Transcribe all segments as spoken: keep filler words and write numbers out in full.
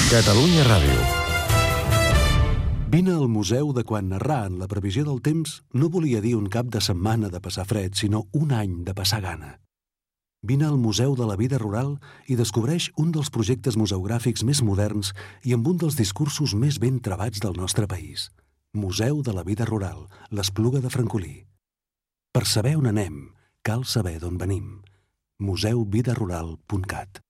Catalunya Ràdio. Vine al museu de quan narrar en la previsió del temps no volia dir un cap de setmana de passar fred, sinó un any de passar gana. Vine al Museu de la Vida Rural i descobreix un dels projectes museogràfics més moderns i amb un dels discursos més ben trebats del nostre país. Museu de la Vida Rural, l'Espluga de Francolí. Per saber on anem, cal saber d'on venim. museu vida rural punt cat.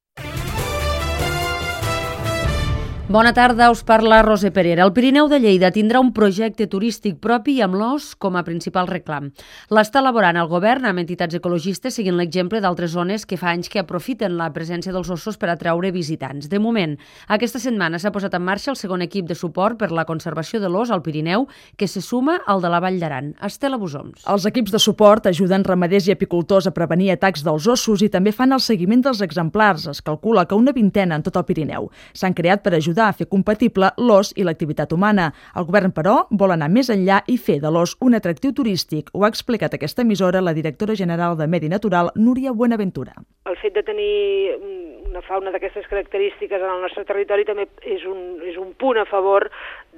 Bona tarda, us parla Roser Perera. El Pirineu de Lleida tindrà un projecte turístic propi amb l'os com a principal reclam. L'està elaborant el govern amb entitats ecologistes seguint l'exemple d'altres zones que fa anys que aprofiten la presència dels ossos per atraure visitants. De moment, aquesta setmana s'ha posat en marxa el segon equip de suport per la conservació de l'os al Pirineu, que se suma al de la Vall d'Aran. Estela Busoms. Els equips de suport ajuden ramaders i apicultors a prevenir atacs dels ossos i també fan el seguiment dels exemplars. Es calcula que una vintena en tot el Pirineu. S'han creat per ajudar a fer compatible l'os i l'activitat humana. El govern, però, vol anar més enllà i fer de l'os un atractiu turístic. Ho ha explicat a aquesta emissora la directora general de Medi Natural, Núria Buenaventura. El fet de tenir una fauna d'aquestes característiques en el nostre territori també és un, és un punt a favor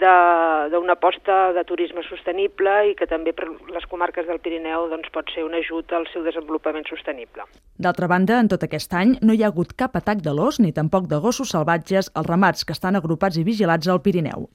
d'una aposta de turisme sostenible i que també per les comarques del Pirineu doncs, pot ser un ajut al seu desenvolupament sostenible. D'altra banda, en tot aquest any no hi ha hagut cap atac de l'os ni tampoc de gossos salvatges als ramats que estan agrupats i vigilats al Pirineu.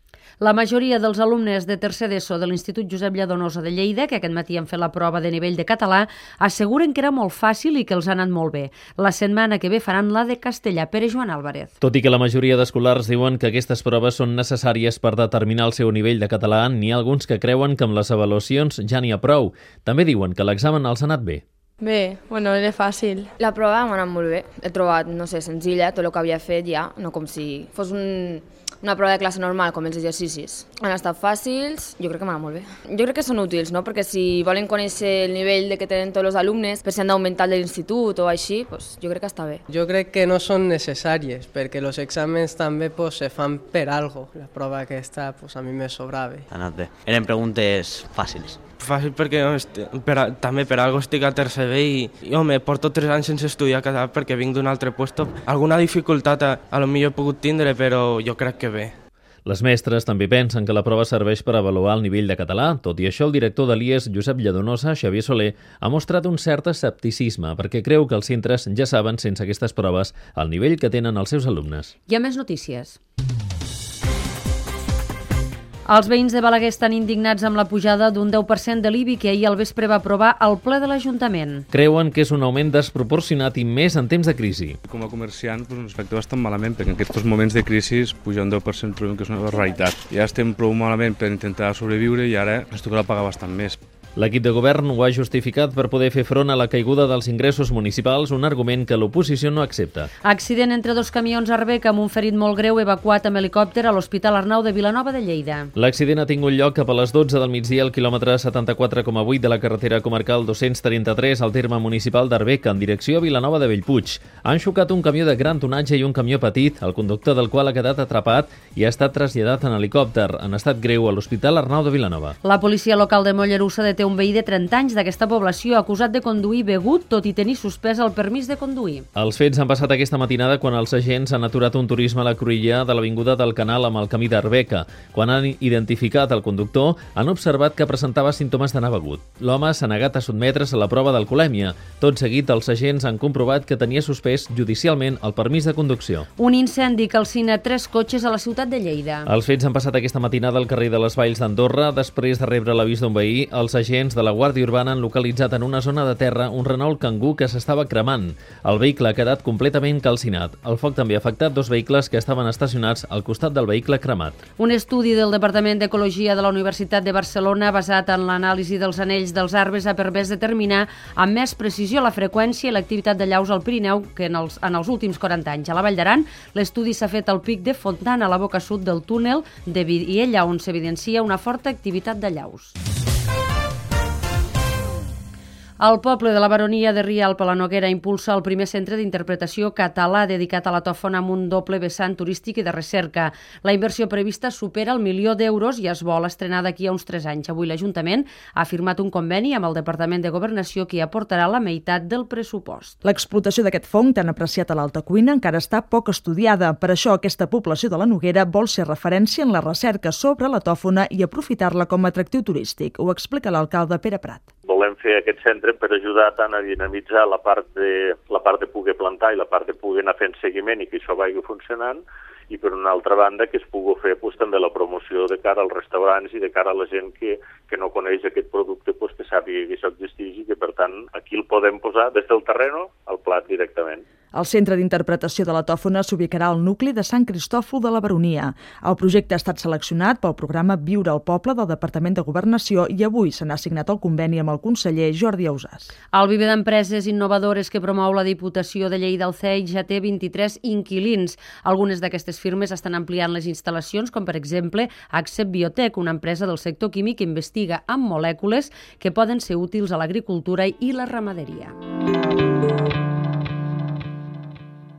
La majoria dels alumnes de tercer d'ESO de l'Institut Josep Lladonosa de Lleida, que aquest matí han fet la prova de nivell de català, asseguren que era molt fàcil i que els ha anat molt bé. La setmana que ve faran la de castellà. Pere Joan Álvarez. Tot i que la majoria d'escolars diuen que aquestes proves són necessàries per determinar el seu nivell de català, n'hi ha alguns que creuen que amb les avaluacions ja n'hi ha prou. També diuen que l'examen els ha anat bé. Bé, bueno, era fàcil. La prova m'ha anat molt bé. He trobat, no sé, senzilla, tot el que havia fet ja, no com si fos un, una prova de classe normal, com els exercicis. Han estat fàcils, jo crec que m'ha anat molt bé. Jo crec que són útils, no? Perquè si volen conèixer el nivell de que tenen tots els alumnes, per si han d'augmentar de l'institut o així, pues, jo crec que està bé. Jo crec que no són necessàries, perquè els exàmens també pues, se fan per algo. La prova aquesta pues, a mi me sobrava. Ha anat bé. Eren preguntes fàcils. Fàcil perquè per a, també per algo estic a tercer B i, i home, porto tres anys sense estudiar català perquè vinc d'un altre puesto. Alguna dificultat a, a lo millor he pogut tindre, però jo crec que bé. Les mestres també pensen que la prova serveix per avaluar el nivell de català. Tot i això, el director de l'I E S, Josep Lladonosa, Xavier Soler, ha mostrat un cert escepticisme perquè creu que els centres ja saben, sense aquestes proves, el nivell que tenen els seus alumnes. Hi ha més notícies. Els veïns de Balaguer estan indignats amb la pujada d'un deu per cent de l'I B I que ahir al vespre va aprovar el ple de l'Ajuntament. Creuen que és un augment desproporcionat i més en temps de crisi. Com a comerciant doncs, ens afecta bastant malament perquè en aquests moments de crisi pujar un deu per cent trobem que és una barbaritat. Ja estem prou malament per intentar sobreviure i ara ens tocarà pagar bastant més. L'equip de govern ho ha justificat per poder fer front a la caiguda dels ingressos municipals, un argument que l'oposició no accepta. Accident entre dos camions a Arbeca amb un ferit molt greu evacuat amb helicòpter a l'Hospital Arnau de Vilanova de Lleida. L'accident ha tingut lloc cap a les dotze del migdia al quilòmetre setanta-quatre coma vuit de la carretera comarcal dos-cents trenta-tres al terme municipal d'Arbeca en direcció a Vilanova de Bellpuig. Han xocat un camió de gran tonatge i un camió petit, el conductor del qual ha quedat atrapat i ha estat traslladat en helicòpter, en estat greu a l'Hospital Arnau de Vilanova. La policia local de Mollerussa deté un veí de trenta anys d'aquesta població acusat de conduir begut, tot i tenir suspès el permís de conduir. Els fets han passat aquesta matinada quan els agents han aturat un turisme a la cruïlla de l'avinguda del Canal amb el camí d'Arbeca. Quan han identificat el conductor, han observat que presentava símptomes d'anar begut. L'home s'ha negat a sotmetre's a la prova d'alcoholèmia. Tot seguit, els agents han comprovat que tenia suspès judicialment el permís de conducció. Un incendi calcina tres cotxes a la ciutat de Lleida. Els fets han passat aquesta matinada al carrer de les Valls d'Andorra. Després de rebre l'avís d'un veí, els agents de la Guàrdia Urbana han localitzat en una zona de terra un Renault Kangoo que s'estava cremant. El vehicle ha quedat completament calcinat. El foc també ha afectat dos vehicles que estaven estacionats al costat del vehicle cremat. Un estudi del Departament d'Ecologia de la Universitat de Barcelona basat en l'anàlisi dels anells dels arbres ha permès determinar amb més precisió la freqüència i l'activitat de llaus al Pirineu que en els, en els últims quaranta anys. A la Vall d'Aran, l'estudi s'ha fet al pic de Fontana, a la boca sud del túnel de Vidiella, on s'evidencia una forta activitat de llaus. El poble de la Baronia de Rialp a la Noguera impulsa el primer centre d'interpretació català dedicat a la tòfona amb un doble vessant turístic i de recerca. La inversió prevista supera el milió d'euros i es vol estrenar d'aquí a uns tres anys. Avui l'Ajuntament ha firmat un conveni amb el Departament de Governació que aportarà la meitat del pressupost. L'explotació d'aquest fong, tan apreciat a l'Alta Cuina, encara està poc estudiada. Per això, aquesta població de la Noguera vol ser referència en la recerca sobre la tòfona i aprofitar-la com a atractiu turístic. Ho explica l'alcalde Pere Prat. Volem fer aquest centre per ajudar tant a dinamitzar la part de la part de poder plantar i la part de poder anar fent seguiment i que això vagi funcionant, i per una altra banda que es pugui fer pues, també la promoció de cara als restaurants i de cara a la gent que, que no coneix aquest producte, pues, que sàpiga que això existeix i que per tant aquí el podem posar des del terreno al plat directament. El Centre d'Interpretació de la Tòfona s'ubicarà al nucli de Sant Cristòfol de la Baronia. El projecte ha estat seleccionat pel programa Viure al Poble del Departament de Governació i avui se n'ha signat el conveni amb el conseller Jordi Ausàs. El viver d'empreses innovadores que promou la Diputació de Lleida, el C E I, ja té vint-i-tres inquilins. Algunes d'aquestes firmes estan ampliant les instal·lacions, com per exemple Accep Biotech, una empresa del sector químic que investiga amb molècules que poden ser útils a l'agricultura i la ramaderia.